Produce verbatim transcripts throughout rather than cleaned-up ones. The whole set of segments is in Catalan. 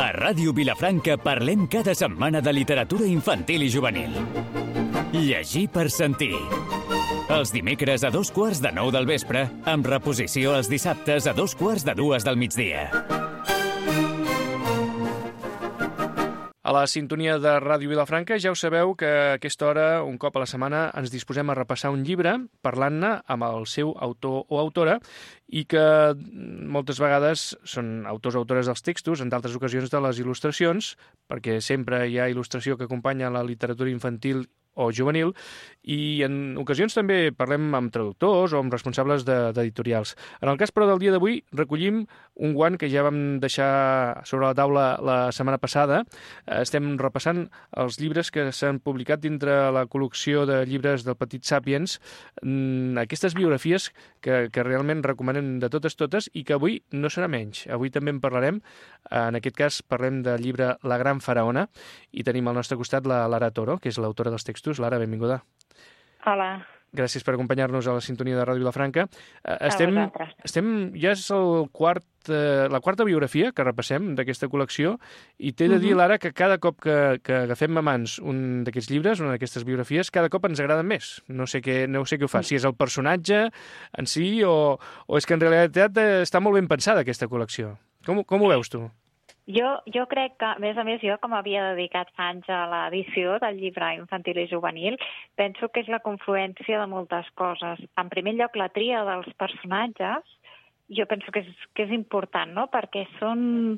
A Ràdio Vilafranca parlem cada setmana de literatura infantil i juvenil. Llegir per sentir. Els dimecres a dos quarts de nou del vespre, amb reposició els dissabtes a dos quarts de dues del migdia. A la sintonia de Ràdio Vilafranca ja ho sabeu que a aquesta hora, un cop a la setmana, ens disposem a repassar un llibre parlant-ne amb el seu autor o autora i que moltes vegades són autors o autores dels textos, en d'altres ocasions de les il·lustracions, perquè sempre hi ha il·lustració que acompanya la literatura infantil o juvenil, i en ocasions també parlem amb traductors o amb responsables d'editorials. En el cas, però, del dia d'avui, recollim un guant que ja vam deixar sobre la taula la setmana passada. Estem repassant els llibres que s'han publicat dintre la col·lecció de llibres del Petit Sàpiens, aquestes biografies que, que realment recomanem de totes totes i que avui no serà menys. Avui també en parlarem. En aquest cas parlem del llibre La gran faraona i tenim al nostre costat la Lara Toro, que és l'autora dels textos. Lara, benvinguda. Hola. Gràcies per acompanyar-nos a la sintonia de Ràdio Vilafranca. Estem, estem, ja és el quart, eh, la quarta biografia que repassem d'aquesta col·lecció i t'he de dir, uh-huh. Lara, que cada cop que, que agafem a mans un d'aquests llibres, una d'aquestes biografies, cada cop ens agraden més. No sé què, no sé què ho fa, si és el personatge en si o, o és que en realitat està molt ben pensada aquesta col·lecció. Com, com ho veus tu? Jo, jo crec que, a més a més, jo com havia dedicat fa anys a l'edició del llibre infantil i juvenil, penso que és la confluència de moltes coses. En primer lloc, la tria dels personatges, jo penso que és, que és important, no?, perquè són,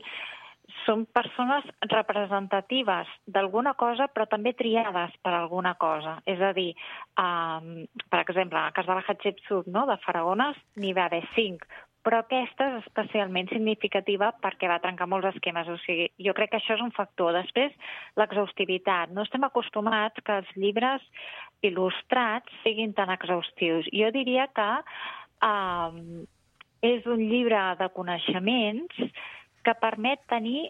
són persones representatives d'alguna cosa, però també triades per alguna cosa. És a dir, um, per exemple, en el cas de la Hatshepsut, no?, de faraones, n'hi va haver cinc, però aquesta és especialment significativa perquè va trencar molts esquemes. O sigui, jo crec que això és un factor. Després, l'exhaustivitat. No estem acostumats que els llibres il·lustrats siguin tan exhaustius. Jo diria que eh, és un llibre de coneixements que permet tenir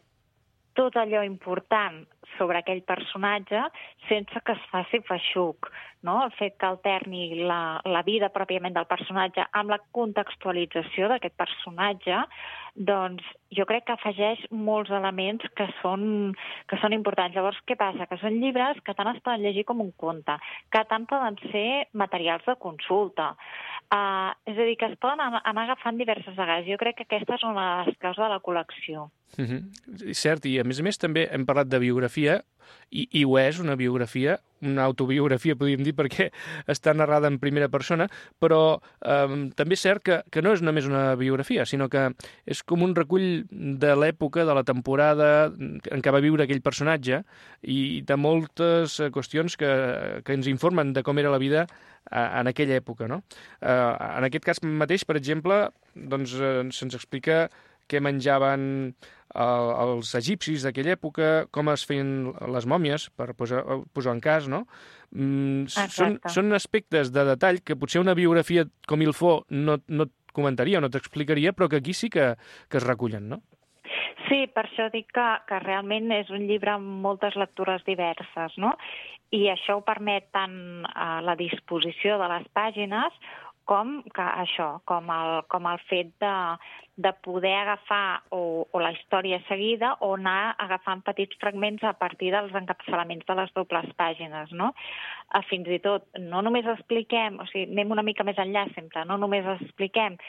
tot allò important sobre aquell personatge sense que es faci feixuc, no? El fet que alterni la, la vida pròpiament del personatge amb la contextualització d'aquest personatge, doncs jo crec que afegeix molts elements que són, que són importants. Llavors, què passa? Que són llibres que tant es poden llegir com un conte, que tant poden ser materials de consulta. Uh, és a dir, que es poden anar agafant diverses vegades. Jo crec que aquesta és una de les claus de la col·lecció. Mm-hmm. Cert, i a més a més també hem parlat de biografia, i, i ho és una biografia, una autobiografia podríem dir, perquè està narrada en primera persona, però eh, també és cert que, que no és només una biografia, sinó que és com un recull de l'època, de la temporada en què va viure aquell personatge i de moltes qüestions que, que ens informen de com era la vida en aquella època, no? Eh, en aquest cas mateix, per exemple, doncs, eh, se'ns explica què menjaven eh, els egipcis d'aquella època, com es feien les mòmies, per posar, posar en cas, no? Mm, són, són aspectes de detall que potser una biografia com il faut no, no et comentaria o no t'explicaria, però que aquí sí que, que es recullen, no? Sí, per això dic que, que realment és un llibre amb moltes lectures diverses, no? I això ho permet tant a la disposició de les pàgines com que això, com el, com el fet de, de poder agafar o, o la història seguida o anar agafant petits fragments a partir dels encapçalaments de les dobles pàgines, no? Fins i tot, no només expliquem, o sigui, anem una mica més enllà sempre, no només expliquem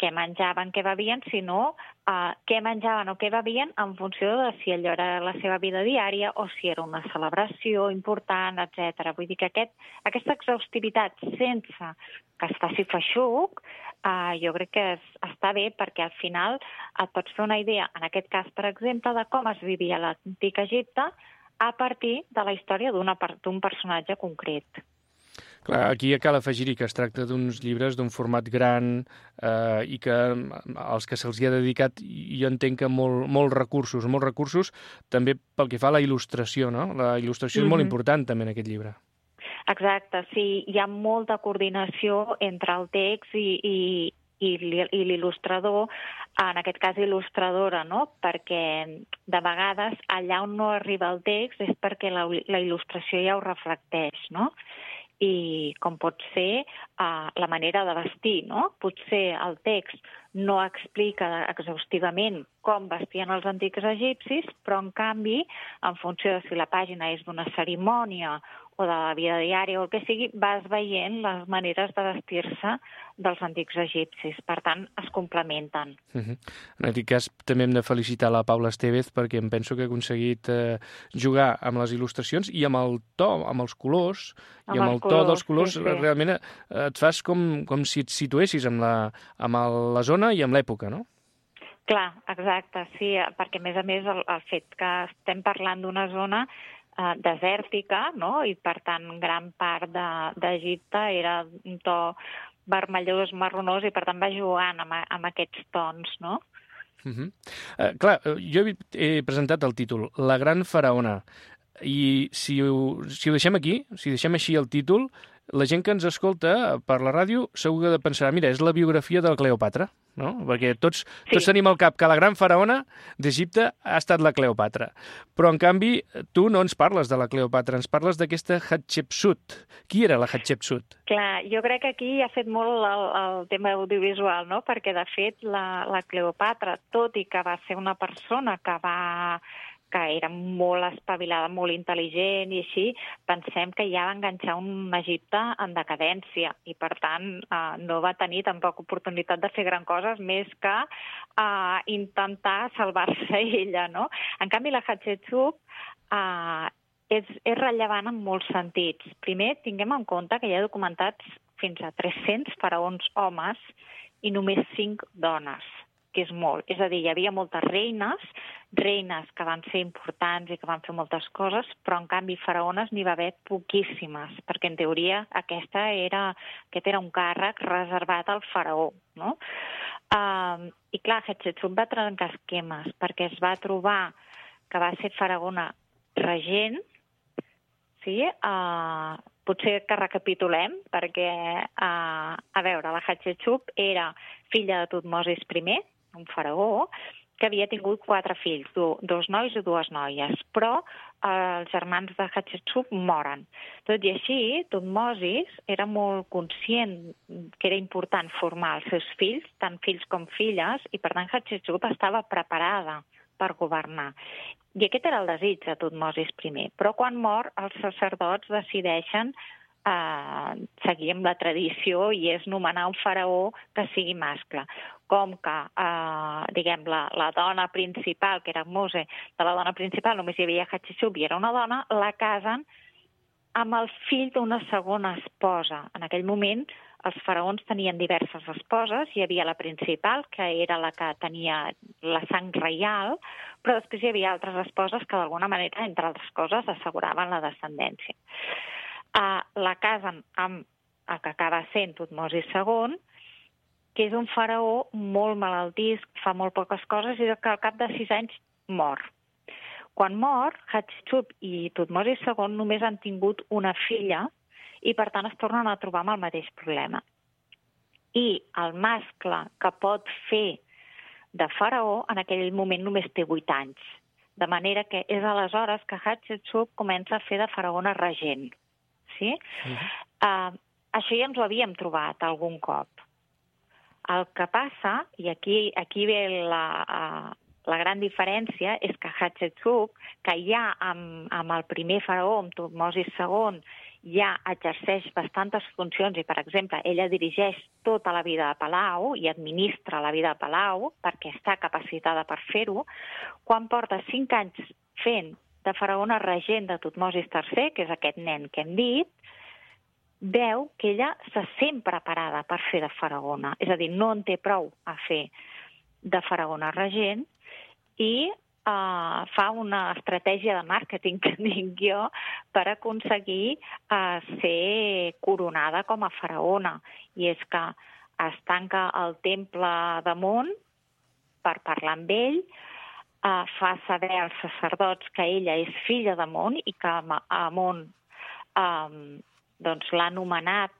què menjaven, què bevien, sinó uh, què menjaven o què bevien en funció de si allò era la seva vida diària o si era una celebració important, etcètera. Vull dir que aquest, aquesta exhaustivitat sense que es faci feixuc, uh, jo crec que es, està bé perquè al final et pots fer una idea, en aquest cas, per exemple, de com es vivia a l'antic Egipte a partir de la història d'un personatge concret. Clar, aquí cal afegir-hi que es tracta d'uns llibres d'un format gran eh, i que als que se'ls ha dedicat, jo entenc que molt, molts recursos, molts recursos també pel que fa a la il·lustració, no? La il·lustració mm-hmm. és molt important també en aquest llibre. Exacte, sí, hi ha molta coordinació entre el text i, i, i l'il·lustrador, en aquest cas il·lustradora, no? Perquè de vegades allà on no arriba el text és perquè la, la il·lustració ja ho reflecteix, no? i com pot ser uh, la manera de vestir, no? Potser el text no explica exhaustivament com vestien els antics egipcis, però en canvi, en funció de si la pàgina és d'una cerimònia o de la vida diària o el que sigui, vas veient les maneres de vestir-se dels antics egipcis. Per tant, es complementen. Uh-huh. En aquest cas, també hem de felicitar la Paula Estevez perquè em penso que ha aconseguit eh, jugar amb les il·lustracions i amb el to, amb els colors, amb i amb el to colors, dels colors, sí, sí. realment eh, et fas com, com si et situessis amb la, amb el, la zona i amb l'època, no? Clar, exacte, sí, perquè a més a més el, el fet que estem parlant d'una zona Uh, desèrtica, no? I per tant gran part d'Egipte de, era un to vermellós, marronós, i per tant va jugant amb, amb aquests tons, no? Uh-huh. uh, clar, jo he, he presentat el títol La gran faraona, i si ho, si ho deixem aquí, si deixem així el títol, la gent que ens escolta per la ràdio segur que pensarà, mira, és la biografia de la Cleòpatra, no? Perquè tots, sí. tots tenim al cap que la gran faraona d'Egipte ha estat la Cleòpatra. Però, en canvi, tu no ens parles de la Cleòpatra, ens parles d'aquesta Hatxepsut. Qui era la Hatxepsut? Clar, jo crec que aquí ha fet molt el, el tema audiovisual, no? Perquè, de fet, la, la Cleòpatra, tot i que va ser una persona que va... que era molt espavilada, molt intel·ligent i així, pensem que ja va enganxar un Egipte en decadència i, per tant, eh, no va tenir tampoc oportunitat de fer gran coses més que eh, intentar salvar-se ella, no? En canvi, la Hatxepsut eh, és, és rellevant en molts sentits. Primer, tinguem en compte que hi ha documentats fins a tres-cents faraons homes i només cinc dones, que és molt. És a dir, hi havia moltes reines, reines que van ser importants i que van fer moltes coses, però en canvi faraones n'hi va haver poquíssimes, perquè en teoria aquesta era, aquest era un càrrec reservat al faraó, no? Uh, I clar, Hatxepsut va trencar esquemes, perquè es va trobar que va ser faraona regent, sí? Uh, potser que recapitulem, perquè, uh, a veure, la Hatxepsut era filla de Tutmosis primer, un faraó, que havia tingut quatre fills, do, dos nois i dues noies, però eh, els germans de Hatxepsut moren. Tot i així, Tutmosis era molt conscient que era important formar els seus fills, tant fills com filles, i per tant Hatxepsut estava preparada per governar. I aquest era el desig de Tutmosis primer. Però quan mor, els sacerdots decideixen Uh, seguir amb la tradició i és nomenar un faraó que sigui mascle. Com que, uh, diguem, la, la dona principal, que era Mose, de la dona principal només hi havia Hatxepsut i era una dona, la casen amb el fill d'una segona esposa. En aquell moment els faraons tenien diverses esposes, hi havia la principal, que era la que tenia la sang reial, però després hi havia altres esposes que d'alguna manera, entre altres coses, asseguraven la descendència. Uh, la casen amb el que acaba sent Tutmosis segon, que és un faraó molt malaltís, fa molt poques coses i que al cap de sis anys mor. Quan mor, Hatxepsut i Tutmosis segon només han tingut una filla i per tant es tornen a trobar amb el mateix problema. I el mascle que pot fer de faraó en aquell moment només té vuit anys. De manera que és aleshores que Hatxepsut comença a fer de faraona regent. Sí? Uh-huh. Uh, això ja ens ho havíem trobat algun cop. El que passa, i aquí, aquí ve la, uh, la gran diferència, és que Hatxepsut, que ja amb, amb el primer faraó, amb Tutmosis segon, ja exerceix bastantes funcions i, per exemple, ella dirigeix tota la vida de Palau i administra la vida de Palau perquè està capacitada per fer-ho, quan porta cinc anys fent de faraona regent de Tutmosis tercer, que és aquest nen que hem dit, veu que ella se sent preparada per fer de faraona. És a dir, no en té prou a fer de faraona regent i uh, fa una estratègia de màrqueting, que dic jo, per aconseguir uh, ser coronada com a faraona. I és que es tanca el temple d'Amon per parlar amb ell, Uh, fa saber als sacerdots que ella és filla d'Amon i que Amon um, doncs l'ha nomenat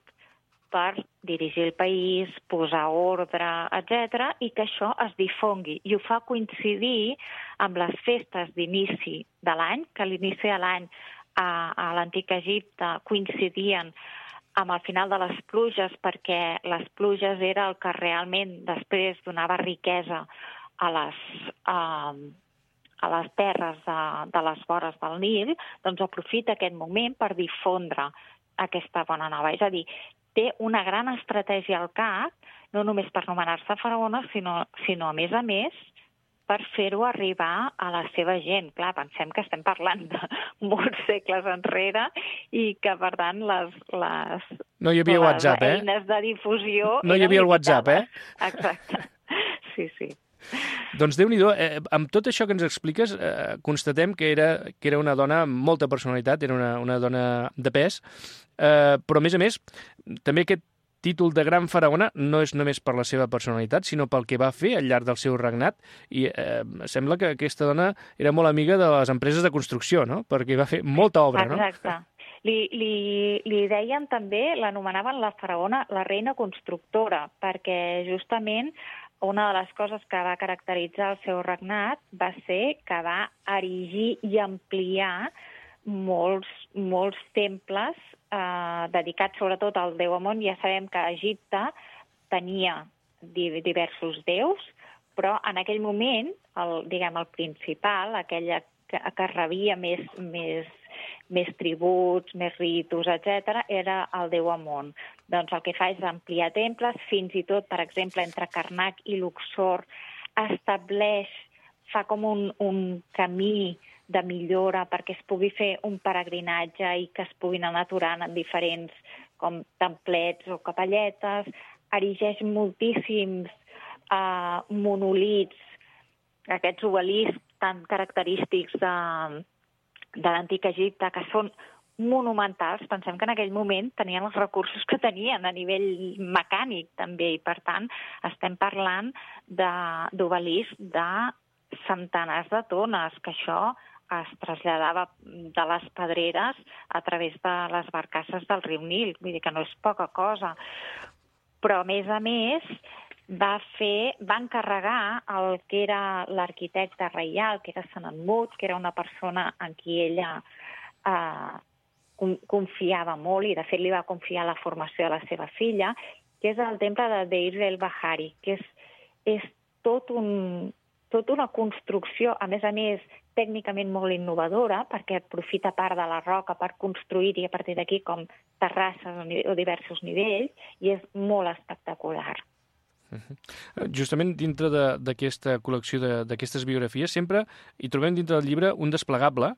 per dirigir el país, posar ordre, etcètera, i que això es difongui. I ho fa coincidir amb les festes d'inici de l'any, que a l'inici de l'any a, a l'antic Egipte coincidien amb el final de les pluges, perquè les pluges era el que realment després donava riquesa a les, a, a les terres de, de les vores del Nil, doncs aprofita aquest moment per difondre aquesta bona nova. És a dir, té una gran estratègia al cap, no només per nomenar-se faraona, sinó, sinó a més a més, per fer-ho arribar a la seva gent. Clar, pensem que estem parlant de molts segles enrere i que, per tant, les, les, no hi havia les WhatsApp, eh? eines de difusió... No hi havia el WhatsApp, eh? Exacte. Sí, sí. Doncs Déu-n'hi-do, eh, amb tot això que ens expliques, eh, constatem que era, que era una dona amb molta personalitat, era una, una dona de pes, eh, però a més a més, també aquest títol de gran faraona no és només per la seva personalitat, sinó pel que va fer al llarg del seu regnat, i eh, sembla que aquesta dona era molt amiga de les empreses de construcció, no? Perquè va fer molta obra, no? Exacte. Li, li, li deien també, l'anomenaven la faraona, la reina constructora, perquè justament una de les coses que va caracteritzar el seu regnat va ser que va erigir i ampliar molts, molts temples eh, dedicats sobretot al déu Amon. Ja sabem que Egipte tenia diversos déus, però en aquell moment, el, diguem, el principal, aquella que, que rebia més, més, més tributs, més ritus, etcètera, era el déu Amon. Doncs el que fa és ampliar temples, fins i tot, per exemple, entre Karnak i Luxor, estableix, fa com un, un camí de millora perquè es pugui fer un peregrinatge i que es puguin anar aturant en diferents com templets o capelletes, erigeix moltíssims eh, monolits, aquests obeliscs tan característics de, de l'antic Egipte, que són monumentals. Pensem que en aquell moment tenien els recursos que tenien a nivell mecànic també, i per tant estem parlant d'obeliscs de, de centenars de tones, que això es traslladava de les pedreres a través de les barcasses del riu Nil, vull dir que no és poca cosa. Però, a més a més, va fer, va encarregar el que era l'arquitecte reial, que era Senenmut, que era una persona en qui ella eh, confiava molt, i de fet li va confiar la formació de la seva filla, que és el temple de Deir el-Bahari, que és, és tot un, tot una construcció, a més a més, tècnicament molt innovadora, perquè aprofita part de la roca per construir-hi a partir d'aquí com terrasses o diversos nivells, i és molt espectacular. Uh-huh. Justament dintre d'aquesta col·lecció d'aquestes biografies sempre hi trobem dintre del llibre un desplegable,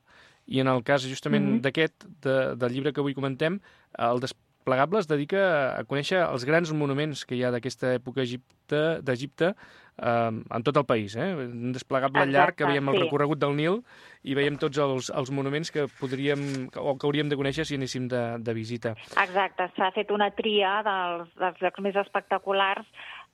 i en el cas justament uh-huh. d'aquest, de, del llibre que avui comentem, el desplegable es dedica a conèixer els grans monuments que hi ha d'aquesta època d'Egipte eh, en tot el país. Eh? Un desplegable Exacte, llarg que veiem el sí. recorregut del Nil i veiem tots els, els monuments que podríem o que hauríem de conèixer si anéssim de, de visita. Exacte, s'ha fet una tria dels, dels llocs més espectaculars,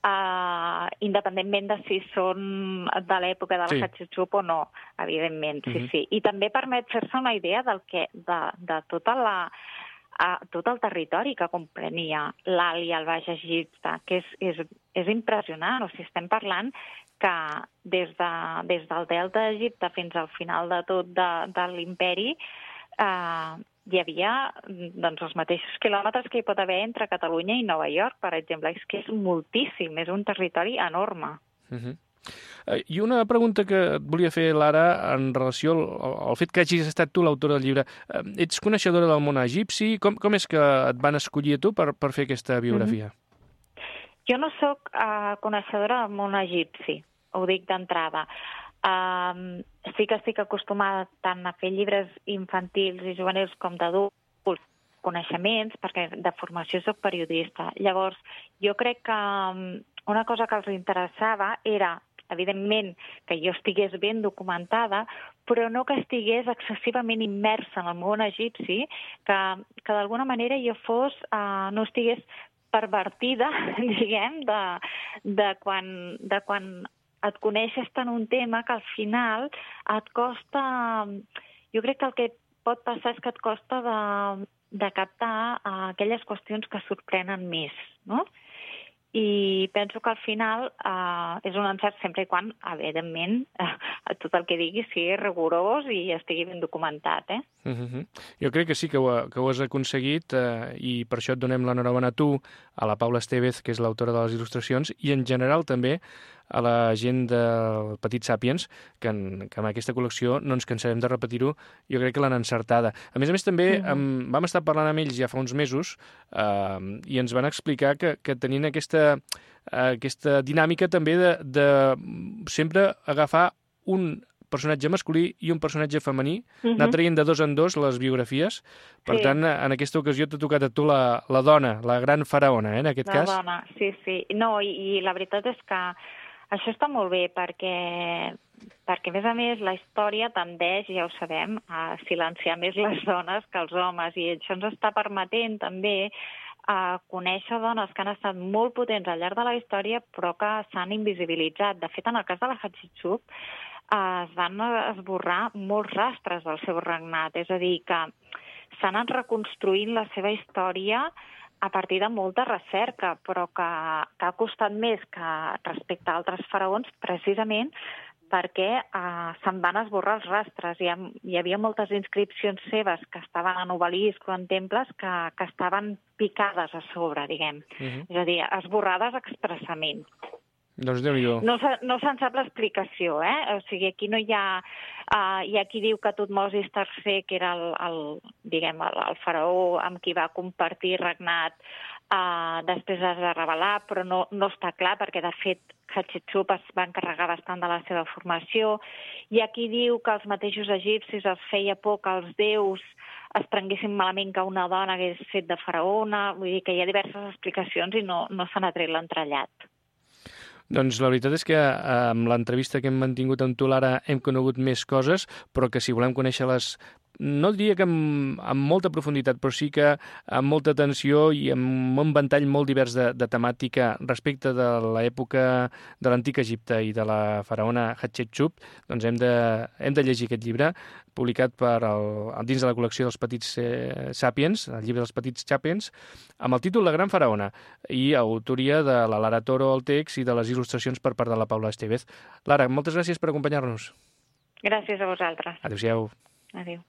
Uh, independentment de si són de l'època de la sí. Hatshepsut o no, evidentment, sí, uh-huh. sí. I també permet fer-se una idea del que, de, de tota la, uh, tot el territori que comprenia l'Alt i el Baix Egipte, que és, és, és impressionant. O sigui, estem parlant que des, de, des del delta d'Egipte fins al final de tot de, de l'imperi uh, hi havia doncs, els mateixos quilòmetres que hi pot haver entre Catalunya i Nova York, per exemple. És que és moltíssim, és un territori enorme. Uh-huh. I una pregunta que et volia fer, Lara, en relació al, al fet que hagis estat tu l'autora del llibre. Ets coneixedora del món egipci? Com, com és que et van escollir a tu per, per fer aquesta biografia? Uh-huh. Jo no sóc uh, coneixedora del món egipci, ho dic d'entrada. Um, sí que estic acostumada tant a fer llibres infantils i juvenils com d'adults, coneixements, perquè de formació soc periodista. Llavors, jo crec que una cosa que els interessava era, evidentment, que jo estigués ben documentada, però no que estigués excessivament immersa en el món egipci, que, que d'alguna manera jo fos, uh, no estigués pervertida, diguem, de, de quan... De quan et coneixes tant un tema que al final et costa... Jo crec que el que pot passar és que et costa de, de captar uh, aquelles qüestions que sorprenen més, no? I penso que al final uh, és un encert sempre i quan, evidentment, uh, tot el que digui sigui rigorós i estigui ben documentat, eh? Uh-huh. Jo crec que sí que ho, que ho has aconseguit eh, i per això et donem l'enhorabona a tu, a la Paula Estevez, que és l'autora de les il·lustracions, i en general també a la gent del Petit Sàpiens, que en, que en aquesta col·lecció no ens cansarem de repetir-ho, jo crec que l'han encertada. A més a més, també uh-huh. em, vam estar parlant amb ells ja fa uns mesos eh, i ens van explicar que, que tenien aquesta, eh, aquesta dinàmica també de, de sempre agafar un personatge masculí i un personatge femení, uh-huh. anar traient de dos en dos les biografies. Per sí. tant, en aquesta ocasió t'ha tocat a tu la, la dona, la gran faraona, eh, en aquest la cas. La dona, sí, sí. No, i, i la veritat és que això està molt bé perquè, perquè, a més a més, la història tendeix, ja ho sabem, a silenciar més les dones que els homes, i això ens està permetent també a conèixer dones que han estat molt potents al llarg de la història però que s'han invisibilitzat. De fet, en el cas de la Hatshepsut, es van esborrar molts rastres del seu regnat, és a dir, que s'han anat reconstruint la seva història a partir de molta recerca, però que, que ha costat més que respecte a altres faraons, precisament perquè eh, se'n van esborrar els rastres. Hi, ha, hi havia moltes inscripcions seves que estaven en obeliscs o en temples que, que estaven picades a sobre, diguem. Uh-huh. És a dir, esborrades expressament. Doncs Déu-n'hi-do. No, no se'n sap l'explicació, eh? O sigui, aquí no hi ha... Uh, hi ha qui diu que Tutmosis tercer, que era el, el, diguem, el, el faraó amb qui va compartir regnat, uh, després es va revelar, però no, no està clar, perquè de fet Hatshepsut es va encarregar bastant de la seva formació. Hi ha qui diu que els mateixos egipcis els feia por que els déus es prenguessin malament que una dona hagués fet de faraona. Vull dir que hi ha diverses explicacions i no, no se n'ha tret l'entrellat. Doncs la veritat és que amb l'entrevista que hem mantingut amb tu, Lara, hem conegut més coses, però que si volem conèixer-les, no diria que amb, amb molta profunditat, però sí que amb molta atenció i amb un ventall molt divers de, de temàtica respecte de l'època de l'antic Egipte i de la faraona Hatshepsut, doncs hem de, hem de llegir aquest llibre, publicat per el, dins de la col·lecció dels Petits eh, Sàpiens, el llibre dels Petits Sàpiens, amb el títol La gran faraona, i autoria de la Lara Toro al text i de les il·lustracions per part de la Paula Estevez. Lara, moltes gràcies per acompanyar-nos. Gràcies a vosaltres. Adéu-siau. Adéu.